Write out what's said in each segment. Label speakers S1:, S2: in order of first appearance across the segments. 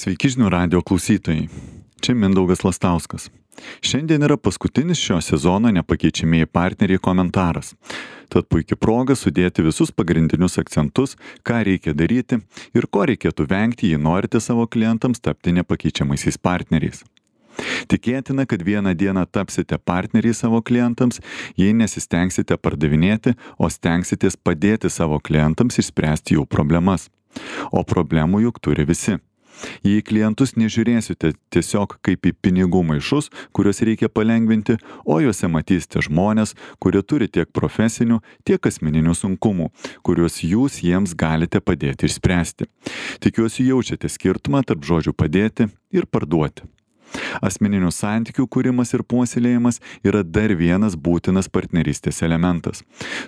S1: Sveiki žinių radijo klausytojai. Čia Mindaugas Lastauskas. Šiandien yra paskutinis šio sezono nepakeičiamieji partneriai komentaras. Tad puikia proga sudėti visus pagrindinius akcentus, ką reikia daryti ir ko reikėtų vengti, jei norite savo klientams tapti nepakeičiamaisiais partneriais. Tikėtina, kad vieną dieną tapsite partneriai savo klientams, jei nesistengsite pardavinėti, o stengsitės padėti savo klientams išspręsti jų problemas. O problemų juk turi visi. Jei klientus nežiūrėsite tiesiog kaip į pinigų maišus, kuriuos reikia palengvinti, o juose matysite žmonės, kurie turi tiek profesinių, tiek asmeninių sunkumų, kuriuos jūs jiems galite padėti išspręsti. Tikiuosi jaučiate skirtumą tarp žodžių padėti ir parduoti. Asmeninių santykių kūrimas ir puoselėjimas yra dar vienas būtinas partnerystės elementas.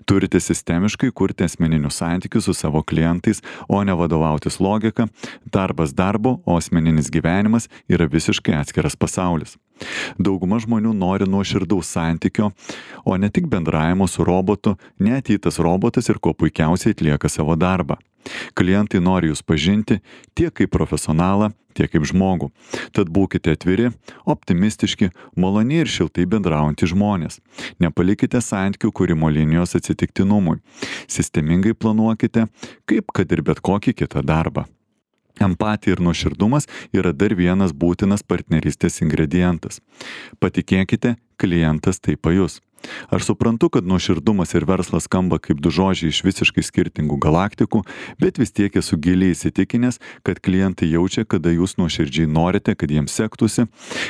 S1: Turite sistemiškai kurti asmeninius santykius su savo klientais, o ne vadovautis logika, darbas darbo, o asmeninis gyvenimas yra visiškai atskiras pasaulis. Dauguma žmonių nori nuoširdaus santykio, o ne tik bendravimo su robotu, net jei tas robotas ir kuo puikiausiai atlieka savo darbą. Klientai nori jūs pažinti tiek kaip profesionalą, tiek kaip žmogų. Tad būkite atviri, optimistiški, maloniai ir šiltai bendraujantys žmonės. Nepalikite santykių kūrimo linijos atsitiktinumui. Sistemingai planuokite, kaip kad ir bet kokį kitą darbą. Empatija ir nuoširdumas yra dar vienas būtinas partnerystės ingredientas. Patikėkite, klientas tai pajus. Aš suprantu, kad nuoširdumas ir verslas skamba kaip du žodžiai iš visiškai skirtingų galaktikų, bet vis tiek esu giliai įsitikinęs, kad klientai jaučia, kada jūs nuoširdžiai norite, kad jiems sektųsi,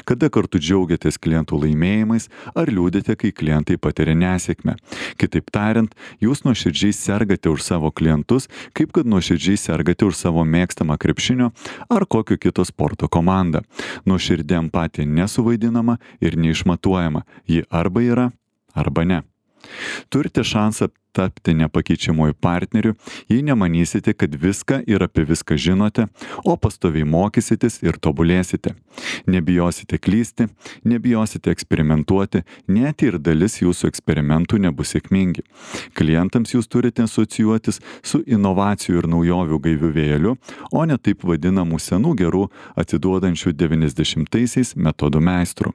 S1: kada kartu džiaugiatės klientų laimėjimais ar liūdite, kai klientai patiria nesėkmę. Kitaip tariant, jūs nuoširdžiai sergate už savo klientus, kaip kad nuoširdžiai sergate už savo mėgstamą krepšinio ar kokio kito sporto komandą. Nuoširdė empatija nesuvaidinama ir neišmatuojama. Ji arba yra, arba ne. Turite šansą tapti nepakeičiamuoju partneriu, jei nemanysite, kad viską ir apie viską žinote, o pastoviai mokysitės ir tobulėsite. Nebijosite klysti, nebijosite eksperimentuoti, net ir dalis jūsų eksperimentų nebus sėkmingi. Klientams jūs turite asocijuotis su inovacijų ir naujovių gaiviu vėjeliu, o ne taip vadinamų senų gerų atiduodančių 90-aisiais metodų meistrų.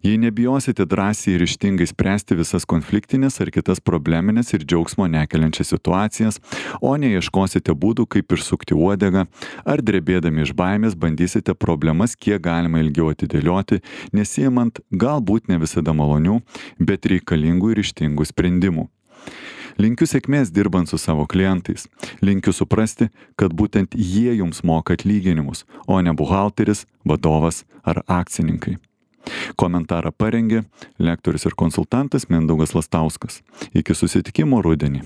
S1: Jei nebijosite drąsiai ir ryžtingai spręsti visas konfliktinės ar kitas probleminės ir džiaugsmo nekeliančias situacijas, o neieškosite būdų, kaip išsukti uodegą, ar drebėdami iš baimės bandysite problemas kiek galima ilgiau atidėlioti, nesiimant galbūt ne visada malonių, bet reikalingų ir ryžtingų sprendimų. Linkiu sėkmės dirbant su savo klientais. Linkiu suprasti, kad būtent jie jums moka atlyginimus, o ne buhalteris, vadovas ar akcininkai. Komentarą parengė lektorius ir konsultantas Mindaugas Lastauskas. Iki susitikimo rudenį.